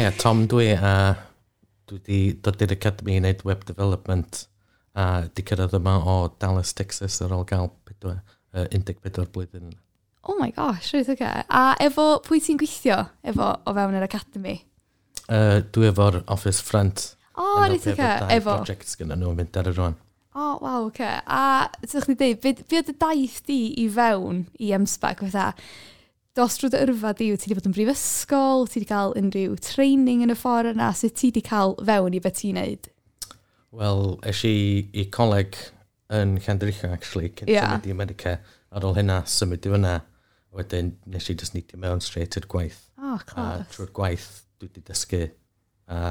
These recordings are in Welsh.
Haia, Tom dwi, a dwi wedi dod i'r Academy i wneud web development a di cyrraedd yma o Dallas, Texas ar ôl gael 14 blwyddyn. Oh my gosh, reit oce. Okay. A efo pwy ti'n gweithio efo o fewn yr Academy? Dwi efo'r office front. O, oh, reit oce. Okay. Efo. Projects gyda nhw'n mynd ar y rwan. O, oh, waw, oce. Okay. A ti'n chdi dweud, be oedd y daith di i fewn i M-SParc? Fatha, dos drwy dy yrfa di, wyt ti wedi bod yn brifysgol, ti wedi cael unrhyw training yn y ffordd yna, sut ti wedi cael fewn i beth ti'n neud? Wel, es i i coleg yn Llandrillo, actually, cyn symud i America. Ar ôl hynna, symud i fyna. Wedyn, nes i just neidio mewn straight i'r gwaith. Oh, class. A trwy'r gwaith, dwi wedi dysgu a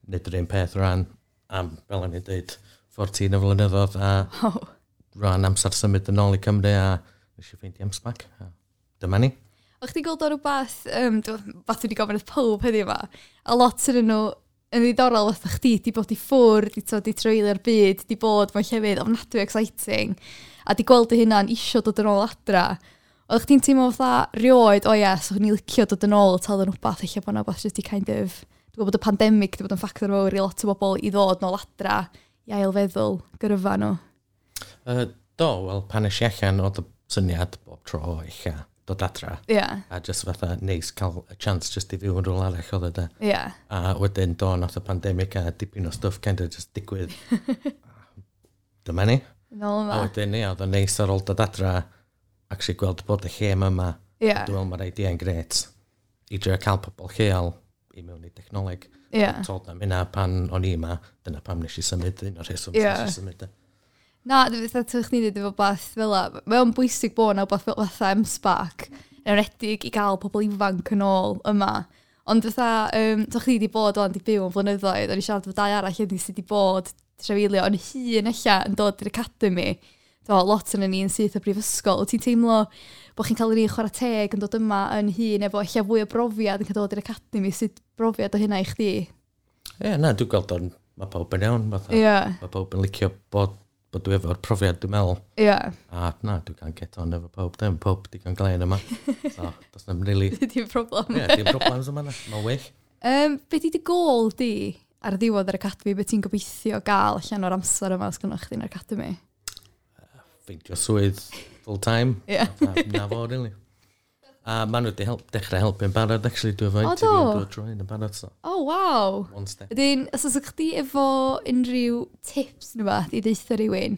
wneud yr un peth rhan am, fel o'n i'n dweud, 14 o flynyddoedd a rhan amser symud yn ôl i Cymru a nes i ffeindio M-SParc. Dyma ni. O'ch chdi gweld o rhywbeth, fath dwi wedi gofyn wrth pob heddiw yma, a lot yn nhw yn ddiddorol fatha chdi, di bod i ffwrdd, di treulio'r byd, di bod mewn llefydd ofnadwy exciting, a di gweld dy hunan isio dod yn ôl adra. O'ch chdi'n teimlo fatha rioed, o ie, so o'n i'n licio dod yn ôl, tal yn rhywbeth, eich bod yna rhywbeth jyst i kind of, dwi'n gwybod bod y pandemig di bod yn ffactor fawr i lot o bobl i ddod nôl adra, i ailfeddwl gyrfa nhw. Do, wel, pan es i allan oedd y syniad bob tro eich dod adra. Yeah. A just fatha neis cael y chance just i fyw yn rhywle arall oedd e de. Yeah. A wedyn do, nath y pandemig a dipyn o stwff kind of just digwydd. Dyma ni. Nôl yma. A wedyn, ie, oedd o'n neis ar ôl dod adra, actually gweld bod y lle yma. Yeah. Dwi'n meddwl mae'r idea yn gret i drio cael pobl lleol i mewn i technoleg. Yeah. Told am hynna pan o'n i yma, dyna pam nes i symud, un o'r rheswm nes i symud. Na, fatha ti'n chdi dweud efo beth fel la, mae o'n bwysig bod yna wbath fel fatha M-SParc, yn enwedig i gael pobl ifanc yn ôl yma. Ond fatha, ti'n chdi wedi bod o'n di byw yn flynyddoedd, o'n i siarad efo dau arall heddiw sydd wedi bod trafeilio, ond hun ella yn dod i'r academy, do, lot yn ni'n syth o brifysgol. Wyt ti'n teimlo bod chi'n cael yr un chwarae teg yn dod yma yn hun efo ella fwy o brofiad yn cael dod i'r academy, sut brofiad o hynna i chdi? Ie, yeah, na, dwi'n gweld o'n, mae pawb yn iawn, fatha. Yeah. Mae pawb yn licio bod dwi efo'r profiad, dwi'n meddwl. Yeah. A na, dwi'n cael get on efo pawb, dim pawb digon glên yma. So, does na'm really... Dim problem. Ie, dim problems yma na, mae'n wych. Be di dy gôl di ar ddiwedd yr academy, be ti'n gobeithio gael allan o'r amser yma os gynnoch chdi yn yr academy? Ffeindio swydd full time. Yeah. Na fo, really. A maen nhw wedi dechrau helpu'n barod, actually, dwi efo interview drwy hyn yn barod, so. Oh, wow. One step. Wedyn, os oes chdi efo unrhyw tips neu beth i ddeutha rhywun,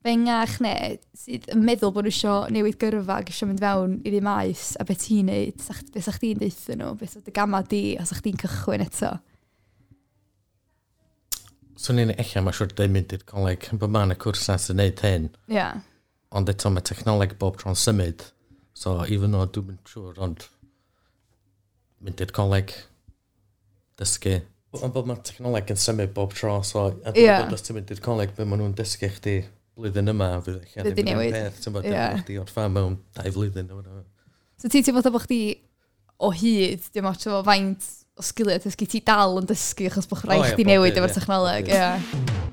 fengach neu sydd yn meddwl bod nhw isio newid gyrfa ac isio mynd fewn i'r un maes, a beth ti'n neud, beth sa chdi'n deutha nhw, beth sa dy gama di, os sa chdi'n cychwyn eto? Swn i'n ella, mae'n siŵr dweud mynd i'r coleg, bod ma'n y cwrsau sy'n neud hyn. Yeah. Ond eto mae technoleg bob tro'n symud. So, even though dwi'n siŵr, ond mynd i'r coleg, dysgu. Ond bod mae technoleg yn symud bob tro, so a dwi'n gwybod os ti'n mynd i'r coleg, be maen nhw'n dysgu chdi blwyddyn yma, fydd eich ddim yn peth, ti'n bod, chdi orffan mewn 2 flwyddyn. So ti'n teimlo bod chdi o hyd, dim ots efo faint o sgiliau dysgu, ti dal yn dysgu achos bod rhaid chdi newid efo'r technoleg. Ie.